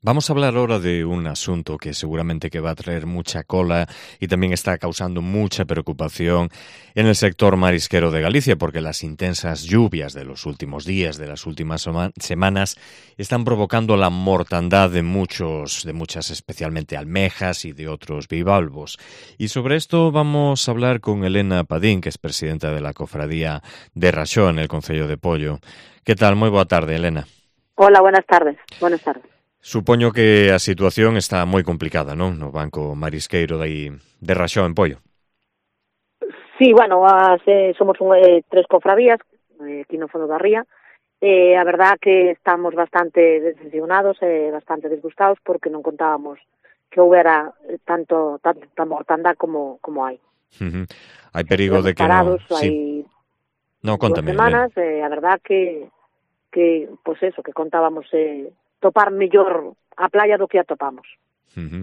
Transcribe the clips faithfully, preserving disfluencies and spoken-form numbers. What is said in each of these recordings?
Vamos a hablar ahora de un asunto que seguramente que va a traer mucha cola y también está causando mucha preocupación en el sector marisquero de Galicia, porque las intensas lluvias de los últimos días, de las últimas semanas, están provocando la mortandad de muchos, de muchas, especialmente almejas y de otros bivalvos. Y sobre esto vamos a hablar con Elena Padín, que es presidenta de la Cofradía de Raxó en el Concello de Pollo. ¿Qué tal? Moi boa tarde, Elena. Hola, buenas tardes. Buenas tardes. Supoño que a situación está moi complicada, non? No banco marisqueiro de, de Raxó en Pollo. Sí, bueno, as, eh, somos un, eh, tres cofradías eh, aquí no fondo da ría. Eh, a verdad que estamos bastante decepcionados e eh, bastante disgustados porque non contábamos que houbera tanto tanta mortandad como como hai. Uh-huh. Hai perigo Estivemos de que parados, non... Sí. hai No, dúas contame, semanas, Elena. e eh, a verdad que que, pois pues eso, que contábamos eh, topar mellor a playa do que a topamos. Uh-huh.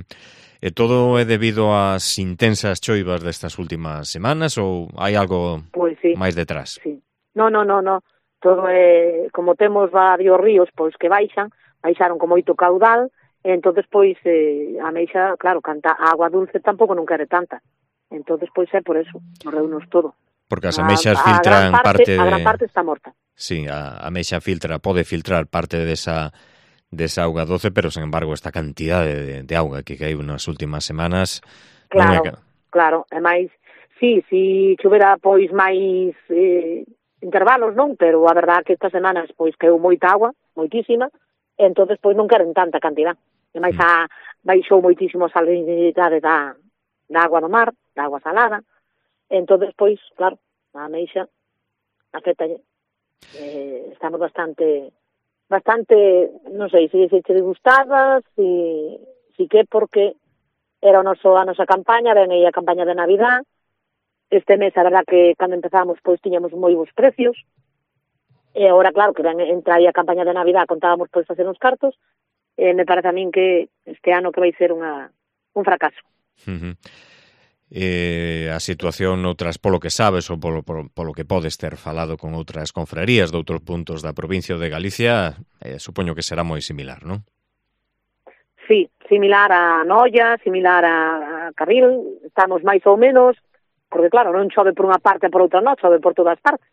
E todo é debido ás intensas choivas destas últimas semanas ou hai algo Pois sí, máis detrás? sí. No, no, no, no. Todo é, como temos varios ríos pois que baixan, baixaron con moito caudal, e entonces pois eh, a meixa, claro, canta a agua dulce tampouco non quere tanta. Entonces pois é por eso, morreunos todo. Porque as A, ameixas a gran filtran parte, parte de... a gran parte está morta. Sí, a, a ameixa filtra, pode filtrar parte desa desa auga doce, pero, sen embargo, esta cantidade de, de auga que caiu nas últimas semanas non é... Claro, claro, e máis, sí, si chuvera pois máis eh, intervalos, non? Pero a verdad que estas semanas pois caeu moita agua, moitísima, e entonces pois non queren tanta cantidad. E máis a, baixou moitísimo a salinidade da, da agua do mar, da agua salada, e entonces pois, claro, a ameixa afecta. Eh, estamos bastante bastante, non sei, se se disgustadas, si, si que porque era o noso, a nosa campaña, ven aí a campaña de Navidad. Este mes, a verdad que cando empezamos, pois tiñamos moi bons precios, e agora, claro, que ven, entra aí a campaña de Navidad, contábamos pois facer uns cartos, e me parece a min que este ano que vai ser unha, un fracaso. Uh-huh. Eh, a situación noutras, polo que sabes ou polo, polo, polo que podes ter falado con outras confrarías de outros puntos da provincia de Galicia, eh, supoño que será moi similar, non? Sí, similar a Noia, similar a, a Carril, estamos máis ou menos, porque claro, non chove por unha parte e por outra non, chove por todas partes.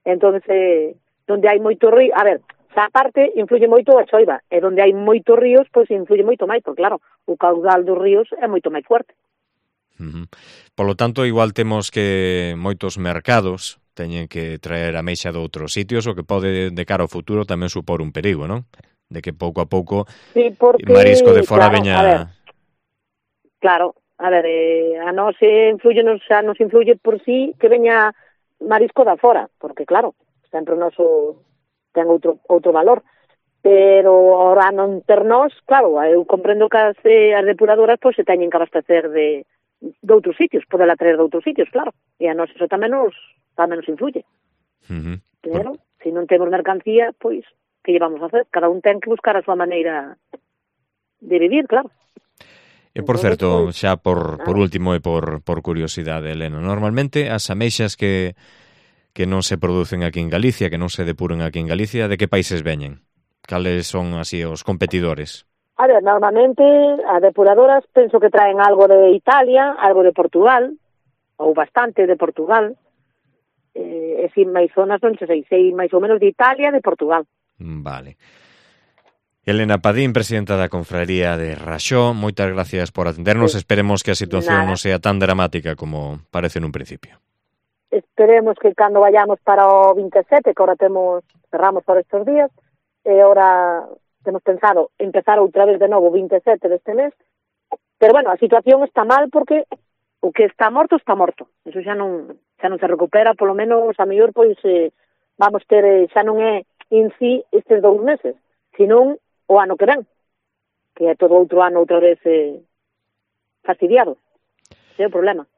Entón, eh, donde hai moito río, a ver, xa parte influye moito a choiva, e donde hai moitos ríos, pois influye moito máis, porque claro, o caudal dos ríos é moito máis fuerte. Uh-huh. Polo tanto, igual temos que moitos mercados teñen que traer a meixa de outros sitios, o que pode, de cara ao futuro, tamén supor un perigo, non? De que pouco a pouco sí, porque, marisco de fora claro, veña... A ver, claro, a ver, eh, a nos influye, nos, a nos influye por sí que veña marisco da fora, porque claro, sempre o noso ten outro, outro valor. Pero ahora non ter nós, claro, eu comprendo que as, eh, as depuradoras pois se teñen que abastecer de de outros sitios, podela traer de outros sitios, claro, e a nós eso tamén nos, tamén nos influye. Uh-huh. Pero, Por... se non temos mercancía, pois, que llevamos a hacer? Cada un ten que buscar a súa maneira de vivir, claro. E por Entonces, certo, pois, xa por, claro. por último e por, por curiosidade, Elena, normalmente as ameixas que, que non se producen aquí en Galicia, que non se depuran aquí en Galicia, de que países veñen? Cales son así os competidores? A ver, normalmente as depuradoras penso que traen algo de Italia, algo de Portugal, ou bastante de Portugal, eh, e si máis zonas non sei, sei máis ou menos de Italia e de Portugal. Vale. Elena Padín, presidenta da Confraría de Raxó, moitas gracias por atendernos, sí. Esperemos que a situación Nada. non sea tan dramática como parece nun principio. Esperemos que cando vayamos para o veintisiete, que ahora temos, cerramos por estes días, e ahora temos pensado empezar outra vez de novo o veintisiete deste mes, pero bueno, a situación está mal porque o que está morto está morto, eso xa non xa non se recupera, polo menos a mellor pois eh, vamos ter, eh, xa non é en sí estes dous meses, senón o ano que ven, que é todo outro ano outra vez eh, fastidiado, ese é o problema.